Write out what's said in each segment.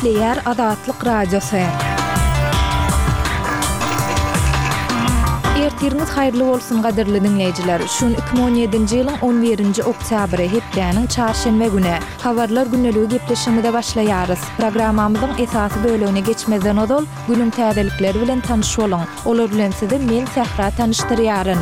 Gepleýär Azatlyk Radiosy. Ertiriňiz haýyrly bolsun gadyrly diňleýjiler. Şu gün 2017-nji ýylyň 11-nji oktýabry, hepdäniň çarşenbe güni. Habarlar gündeligi gepleşigimize başlaýarys. Programmamyzyň esasy bölegine geçmezden ozal, günüň täzelikleri bilen tanyş boluň. Olar bilen sizi men Sähra tanyşdyrýaryn.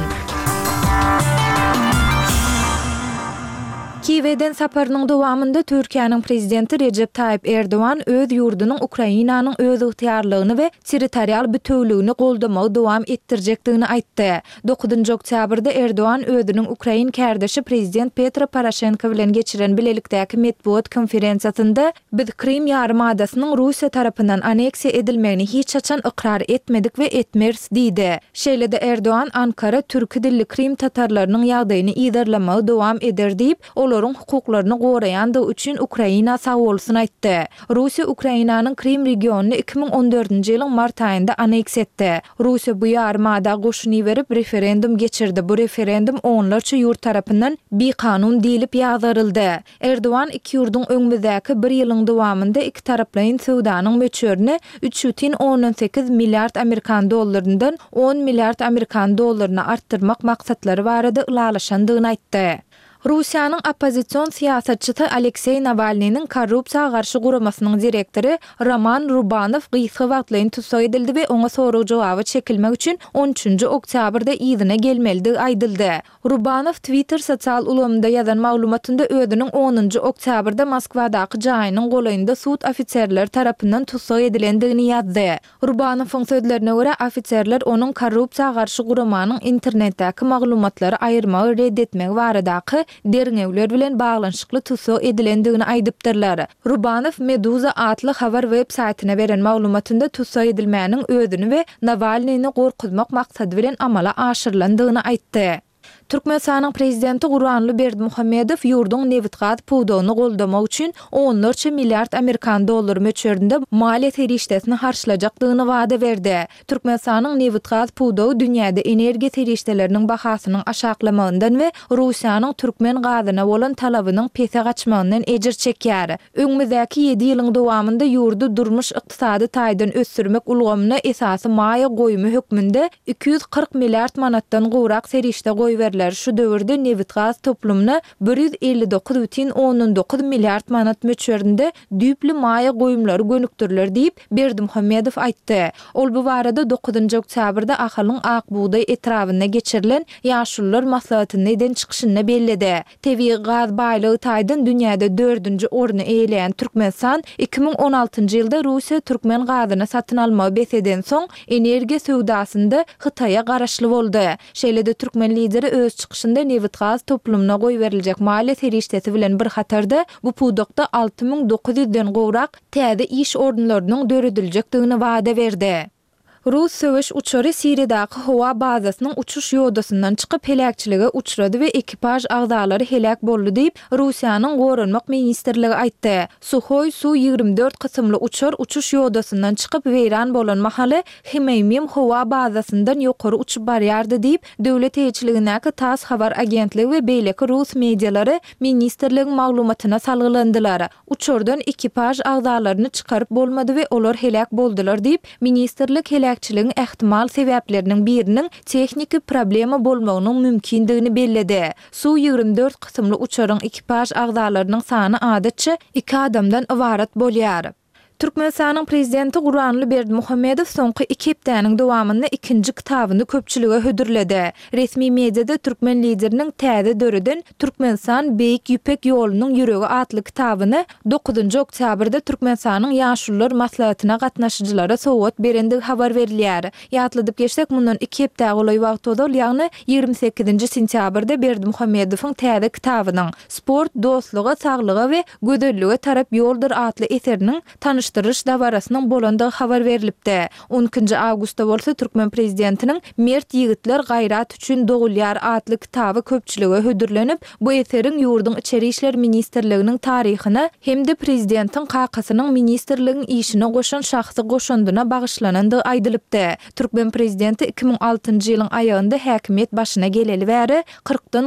Kiýewe eden saparynyň dowamynda Türkiýäniň Prezidenti Rejep Taýyp Erdogan öz ýurdunyň Ukrainanyň özygtyýarlygyny we territorial bitewüligini goldamagy dowam etdirjekdigini aýtdy. Dokuzynjy oktýabrda Erdogan özüniň ukrain kärdeşi Prezident Petro Poroşenko bilen geçiren bilelikdäki metbugat konferensiýasynda Biz Krym ýarymadasynyň Russiýa tarapyndan aneksiýa edilmegini hiç haçan ykrar etmedik we etmeris diýdi. Şeýle-de Erdogan Ankara türki dilli krym tatarlarynyň ýagdaýyny yzarlamagy dowam eder diýip, olaryň hukuklaryny goraýandygy üçin Ukraina sagbolsun aýtdy. Russiýa Ukrainanyň Krym regionyny 2014-nji ýylyň mart aýynda aneksiýa etdi. Russiýa bu ýarymada goşun iberip, referendum geçirdi, bu referendum onlarça ýurt tarapyndan bikanun diýlip ýazgaryldy. Erdogan iki ýurduň öňümizdäki bir ýylyň dowamynda ikitaraplaýyn söwdanyň möçberini 3,8 milliard amerikan dollaryndan on milliard amerikan dollaryna artdyrmak maksatlary barada ylalaşandygyny aýtdy. Russiýanyň oppozision syýasatçysy Alekseý Nawalnynyň korrupsiýa garşy guramasynyň direktory Roman Rubanow gysga wagtlaýyn tussag edildi we oňa sorag-jogaba çekilmek üçin on üçünji oktýabrda yzyna gelmelidigi aýdyldy. Rubanow Twitter sosial ulgamynda ýazan maglumatynda özüniň onunjy oktýabrda Moskwadaky jaýynyň golaýynda sud ofiserleri tarapyndan tussag edilendigini ýazdy. Rubanowyň sözlerine görä, ofiserler onuň korrupsiýa garşy guramanyň internetdäki maglumatlary aýyrmagy red etmegi baradaky derňewler bilen baglanyşykly tussag edilendigini aýdypdyrlar. Rubanow Meduza atly habar web saýtyna beren maglumatynda tussag edilmäniň özüni we Nawalnyny gorkuzmak maksady bilen amala aşyrylandygyny aýtdy. Türkmenistanyň Prezidenti Gurbanguly Berdimuhamedow ýurduň nebitgaz pudagyny goldamak üçin onlarça milliard amerikan dollary möçberinde maliýe serişdesini harçlajakdygyny wada berdi. Türkmenistanyň nebitgaz pudagy dünýäde energiýa serişdeleriniň bahasynyň aşaklamagyndan we Russiýanyň türkmen gazyna bolan talabynyň pese gaçmagyndan ejir çekýär. Öňümizdäki ýedi ýylyň dowamynda ýurdy durmuş-ykdysady taýdan ösdürmek ulgamyna esasy maýa goýumy hökmünde 240 milliard manatdan gowrak serişde goýberiler, şu döwürde nebitgaz toplumyna 159,9 milliard manat möçberinde düýpli maýa goýumlary gönükdiriler diýip, Berdimuhamedow aýtdy. Ol bu barada dokuzynjy oktýabrda Ahalyň Ak bugdaý etrabynda geçirilen Ýaşulular maslahatynda eden çykyşynda belledi. Tebigy gaz baýlygy taýdan dünýäde dördünji orny eýeleýän Türkmenistan 2016-njy ýylda Russiýa türkmen gazyny satyn almagy bes edensoň, energiýa söwdasynda Hytaýa garaşly boldy. Şeýle-de türkmen Lideri öz çykyşynda nebitgaz toplumyna goýberiljek maliýe serişdesi bilen bir hatarda, bu pudakda 6900 den gowrak täze iş orunlarynyň dörediljekdigini wada berdi. Rus söweş uçary Siriýadaky howa bazasynyň uçuş ýodasyndan çykyp heläkçilige uçrady we ekipaž agzalary heläk boldy diýip, Russiýanyň Goranmak ministrligi aýtdy. Suhoý Su 24 kysymly uçar uçuş ýodasyndan çykyp weýran bolan mahaly Hmeýmim howa bazasyndan ýokary uçup barýardy diýip, döwlet eýeçiligindäki tass habar agentligi we beýleki rus medialary ministrligiň maglumatyna salgylandylar. Uçardan ekipaž agzalaryny çykaryp bolmady we olar heläk boldular diýip, ministrlik heläkçiligiň ähtimal sebäpleriniň biriniň tehniki problema bolmagynyň mümkindigini belledi. Su 24 kysymly uçaryň ekipaž agzalarynyň sany adatça iki adamdan ybarat bolýar. Türkmenistanyň Prezidenti Gurbanguly Berdimuhamedow soňky iki hepdäniň dowamynda ikinji kitabyny köpçülige hödürledi. Resmi mediada türkmen Lideriniň täze döreden Türkmenistan, Beýik Ýüpek ýolunyň ýüregi atly kitabyny dokuzynjy oktýabrda Türkmenistanyň Ýaşulular maslahatyna gatnaşyjylara sowgat berendigi habar berilýär. Ýatladyp geçsek, mundan iki hepdä golaý wagt ozal, ýagny 28-nji sentýabrda Berdimuhamedowyň täze kitabynyň, Sport dostluga, saglyga we gözellige tarap ýoldur atly eseriniň tanyşdyrylyş dabarasynyň bolandygy habar berlipdi. On ikinji awgustda bolsa türkmen prezidentiniň Mert ýigitler gaýrat üçin dogulýar atly kitaby köpçülige hödürlenip, bu eseriň ýurduň Içeri işler ministrliginiň taryhyna hem-de prezidentiň kakasynyň ministrligiň işine goşan şahsy goşandyna bagyşlanandygy aýdylypdy. Türkmen prezidenti 2006-njy ýylyň aýagynda häkimiýet başyna geleli bäri kyrkdan.